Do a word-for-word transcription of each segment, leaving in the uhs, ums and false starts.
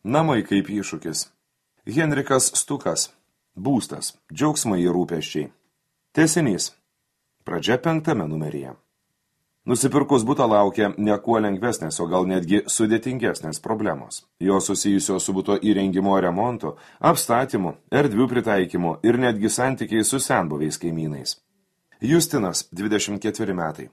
Namai kaip iššūkis. Henrikas Stukas. Būstas. Džiaugsmai ir rūpesčiai. Tęsinys. Pradžia penktame numeryje. Nusipirkus butą laukia ne kuo lengvesnės, o gal netgi sudėtingesnės problemos. Jos susijusios su buto įrengimo remontu, apstatymu, erdvių pritaikymu ir netgi santykiai su senbuviais kaimynais. Justinas, dvidešimt ketveri metai.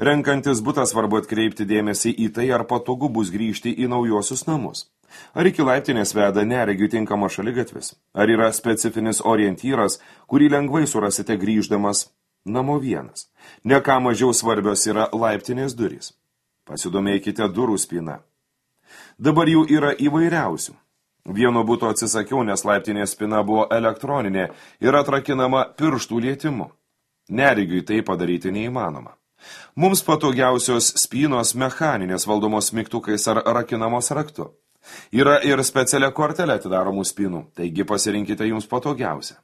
Renkantis butą svarbu atkreipti dėmesį į tai, ar patogu bus grįžti į naujuosius namus. Ar iki laiptinės veda neregių tinkama šaligatvis? Ar yra specifinis orientyras, kurį lengvai surasite grįždamas namo vienas? Ne ką mažiau svarbios yra laiptinės durys. Pasidomėkite durų spyną. Dabar jų yra įvairiausių. Vieno buto atsisakiau, nes laiptinės spyna buvo elektroninė ir atrakinama pirštų lietimu. Neregiui tai padaryti neįmanoma. Mums patogiausios spynos mechaninės valdomos mygtukais ar rakinamos raktu. Yra ir specialia kortelė atidaromų spynų, taigi pasirinkite jums patogiausią.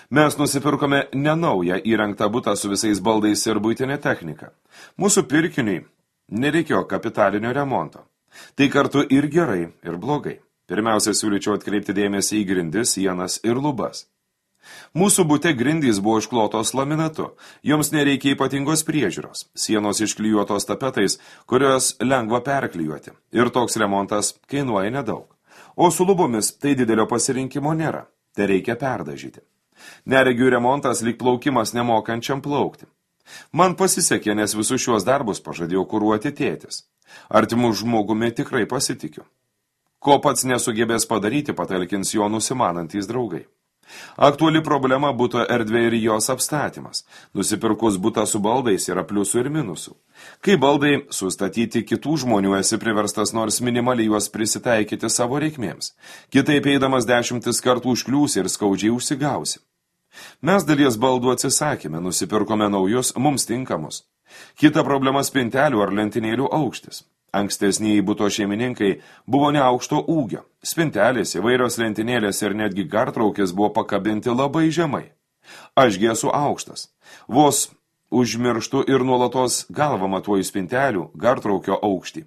Mes nusipirkome nenaują įrengtą butą su visais baldais ir buitinė technika. Mūsų pirkiniui nereikėjo kapitalinio remonto. Tai kartu ir gerai, ir blogai. Pirmiausia, siūlyčiau atkreipti dėmesį į grindis, sienas ir lubas. Mūsų bute grindys buvo išklotos laminatu, joms nereikia ypatingos priežiūros, sienos išklijuotos tapetais, kurios lengva perklijuoti, ir toks remontas kainuoja nedaug. O su lubomis tai didelio pasirinkimo nėra, tai reikia perdažyti. Neregių remontas lyg plaukimas nemokančiam plaukti. Man pasisekė, nes visus šiuos darbus pažadėjau kuruoti tėtis. Artimų žmogumi tikrai pasitikiu. Ko pats nesugebės padaryti, patalkins jo nusimanantys draugai. Aktuali problema buto erdvė ir jos apstatymas. Nusipirkus butą su baldais yra pliusų ir minusų. Kai baldai sustatyti kitų žmonių, esi priverstas nors minimaliai juos prisitaikyti savo reikmėms. Kitaip eidamas dešimtis kartų užkliūsi ir skaudžiai užsigausi. Mes dalies baldų atsisakėme, nusipirkome naujus, mums tinkamus. Kita problema spintelių ar lentynėlių aukštis. Ankstesniai buto šeimininkai buvo neaukšto ūgio. Spintelės, įvairios lentynėlės ir netgi gartraukės buvo pakabinti labai žemai. Ašgi esu aukštas. Vos užmirštu ir nuolatos galvą matuoju spintelių, gartraukio aukštį.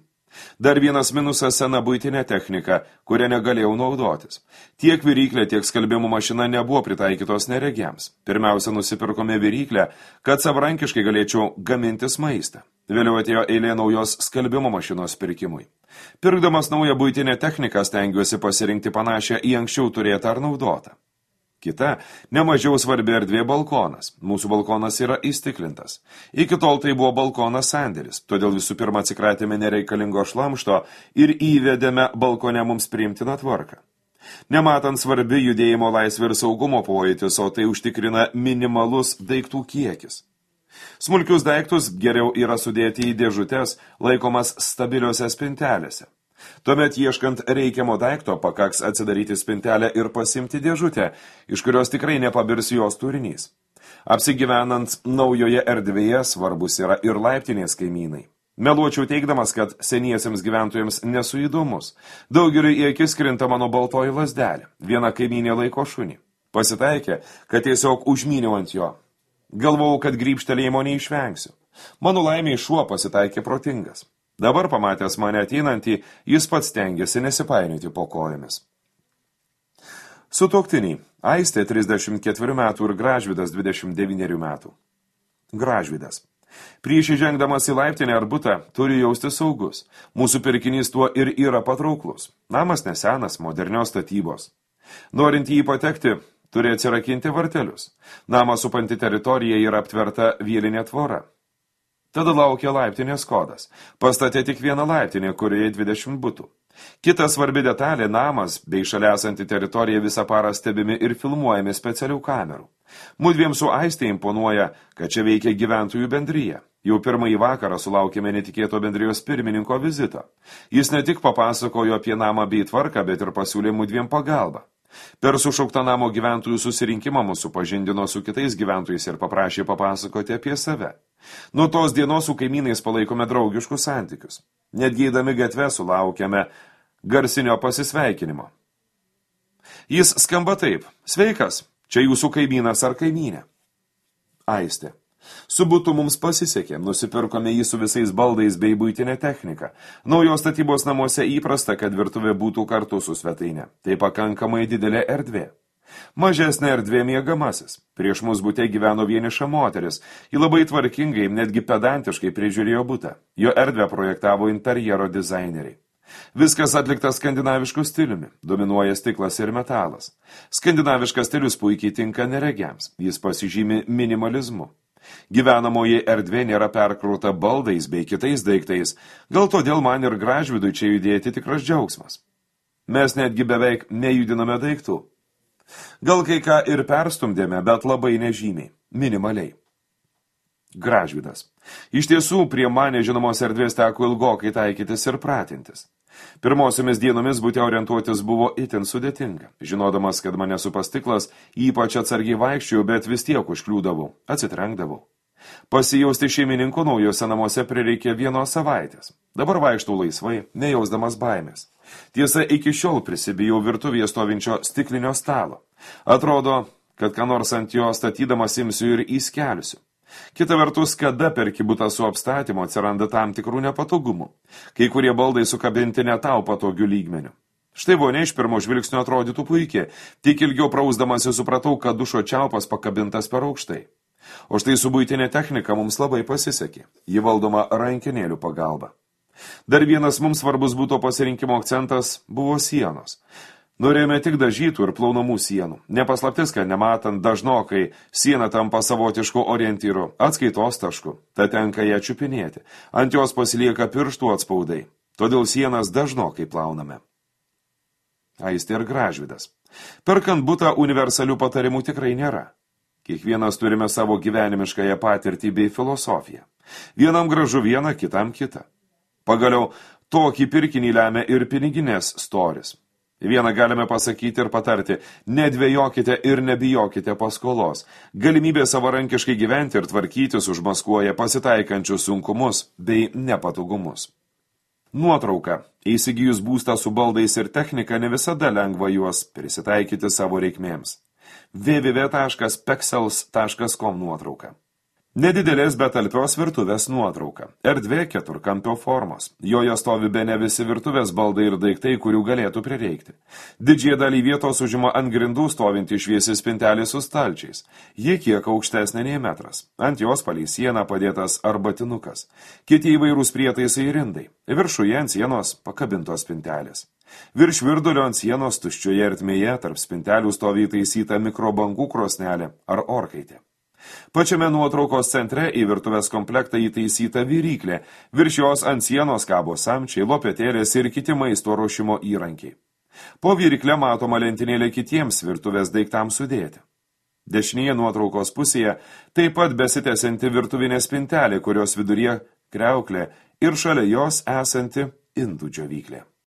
Dar vienas minusas sena buitinė technika, kurią negalėjau naudotis. Tiek viryklė, tiek skalbimo mašina nebuvo pritaikytos neregiams. Pirmiausia, nusipirkome viryklę, kad savarankiškai galėčiau gamintis maistą. Vėliau atėjo eilė naujos skalbimo mašinos pirkimui. Pirkdamas naują buitinę techniką stengiuosi pasirinkti panašią į anksčiau turėtą ar naudotą. Kita, nemažiau svarbi erdvė balkonas. Mūsų balkonas yra įstiklintas. Iki tol tai buvo balkonas sandėlis, todėl visų pirma atsikratėme nereikalingo šlamšto ir įvedėme balkone mums priimtiną tvarką. Nematant svarbi judėjimo laisvė ir saugumo pojūtis, o tai užtikrina minimalus daiktų kiekis. Smulkius daiktus geriau yra sudėti į dėžutes, laikomas stabiliuose spintelėse. Tuomet ieškant reikiamo daikto pakaks atsidaryti spintelę ir pasimti dėžutę, iš kurios tikrai nepabirs jos turinys. Apsigyvenant naujoje erdvėje svarbus yra ir laiptinės kaimynai. Meluočiau teigdamas, kad seniesiems gyventojams nesu įdomus. Daugeliui į akis krinta mano baltoji lazdelė. Viena kaimynė laiko šunį. Pasitaikė, kad tiesiog užmyniau ant jo. Galvojau, kad grybštelėjimo neišvengsiu. Mano laimiai šuo pasitaikė protingas. Dabar pamatęs mane ateinantį, jis pats stengiasi nesipainioti po kojomis. Sutuoktiniai. Aistė trisdešimt ketverių metų ir Gražvydas dvidešimt devynerių metų. Gražvydas. Prieš įžengdamas į laiptinę ar butą turi jausti saugus. Mūsų pirkinys tuo ir yra patrauklus. Namas nesenas, modernios statybos. Norint jį patekti, turi atsirakinti vartelius. Namą supanti teritorija yra aptverta vielinė tvora. Tada laukia laiptinės kodas. Pastatė tik vieną laiptinę, kurioje dvidešimt butų. Kita svarbi detalė, namas bei šalia esanti teritorija visą parą stebimi ir filmuojami specialių kamerų. Mudviem su Aistė imponuoja, kad čia veikia gyventojų bendryje. Jau pirmąjį vakarą sulaukėme netikėto bendrijos pirmininko vizito. Jis ne tik papasakojo apie namą bei tvarką, bet ir pasiūlė mudviem pagalbą. Per sušauktą namo gyventojų susirinkimą mūsų pažindino su kitais gyventojais ir paprašė papasakoti apie save. Nuo tos dienos su kaimynais palaikome draugiškus santykius. Netgi eidami gatve sulaukėme garsinio pasisveikinimo. Jis skamba taip: sveikas, čia jūsų kaimynas ar kaimynė. Aistė. Su butu mums pasisekė, nusipirkome jį su visais baldais bei buitinė technika. Naujos statybos namuose įprasta, kad virtuvė būtų kartu su svetainė. Tai pakankamai didelė erdvė. Mažesnė erdvė miegamasis. Prieš mus bute gyveno vieniša moteris. Ji labai tvarkingai, netgi pedantiškai prižiūrėjo butą. Jo erdvę projektavo interjero dizaineriai. Viskas atliktas skandinavišku stiliumi. Dominuoja stiklas ir metalas. Skandinaviškas stilius puikiai tinka neregiams. Jis pasižymi minimalizmu. Gyvenamoji erdvė nėra perkrauta baldais bei kitais daiktais. Gal todėl man ir Gražvydui čia judėti tikras džiaugsmas. Mes netgi beveik nejudiname daiktų. Gal kai ką ir perstumdėme, bet labai nežymiai, minimaliai. Gražvydas. Iš tiesų, prie man nežinomos erdvės teko ilgokai taikytis ir pratintis. Pirmosiomis dienomis bute orientuotis buvo itin sudėtinga. Žinodamas, kad mane supas stiklas, ypač atsargiai vaikščiojau, bet vis tiek užkliūdavau, atsitrenkdavau. Pasijausti šeimininko naujose namuose prireikė vienos savaitės. Dabar vaikštau laisvai, nejausdamas baimės. Tiesa, iki šiol prisibijau virtuvėje stovinčio stiklinio stalo. Atrodo, kad ką nors ant jo statydamas imsiu ir įskelsiu. Kita vertus, kada perki butą su apstatymu atsiranda tam tikrų nepatogumų. Kai kurie baldai sukabinti ne tau patogių lygmenių. Štai vonia iš pirmo žvilgsnio atrodytų puikiai, tik ilgiau prausdamasi supratau, kad dušo čiaupas pakabintas per aukštai. O štai su buitinė technika mums labai pasisekė. Ji valdoma rankenėlių pagalba. Dar vienas mums svarbus būto pasirinkimo akcentas buvo sienos. Norėjome tik dažytų ir plaunamų sienų. Nepaslaptis, kad nematant dažnokai siena tampa savotišku orientyru, atskaitos tašku, tad tenka ją čiupinėti. Ant jos pasilieka pirštų atspaudai. Todėl sienas dažnokai plauname. Aistė ir Gražvydas. Perkant butą universalių patarimų tikrai nėra. Kiekvienas turime savo gyvenimiškąją patirtį bei filosofiją. Vienam gražu viena, kitam kita. Pagaliau, tokį pirkinį lemia ir piniginės storis. Vieną galime pasakyti ir patarti, nedvejokite ir nebijokite paskolos. Galimybė savarankiškai gyventi ir tvarkytis užmaskuoja pasitaikančius sunkumus bei nepatogumus. Nuotrauka. Įsigijus būstą su baldais ir technika, ne visada lengva juos prisitaikyti savo reikmėms. w w w taškas pexels taškas com nuotrauka. Nedidelės, bet talpios virtuvės nuotrauka. Erdvė keturkampio formos. Joje stovi bene visi virtuvės baldai ir daiktai, kurių galėtų prireikti. Didžiąją dalį vietos užima ant grindų stovinti šviesi spintelė su stalčiais. Ji kiek aukštesnė nei metras. Ant jos palei sieną padėtas arbatinukas. Kiti įvairūs prietaisai ir indai. Viršuje ant sienos pakabintos spintelės. Virš virdulio ant sienos tuščioje ertmėje tarp spintelių stovi įtaisyta mikrobangų krosnelė ar orkaitė. Pačiame nuotraukos centre į virtuvės komplektą įtaisyta viryklė, virš jos ant sienos kabo samčiai, lopetėlės ir kiti maisto ruošimo įrankiai. Po virykle matoma lentynėlė kitiems virtuvės daiktams sudėti. Dešinėje nuotraukos pusėje taip pat besitęsianti virtuvinė spintelė, kurios viduryje kriauklė ir šalia jos esanti indų džiovyklė.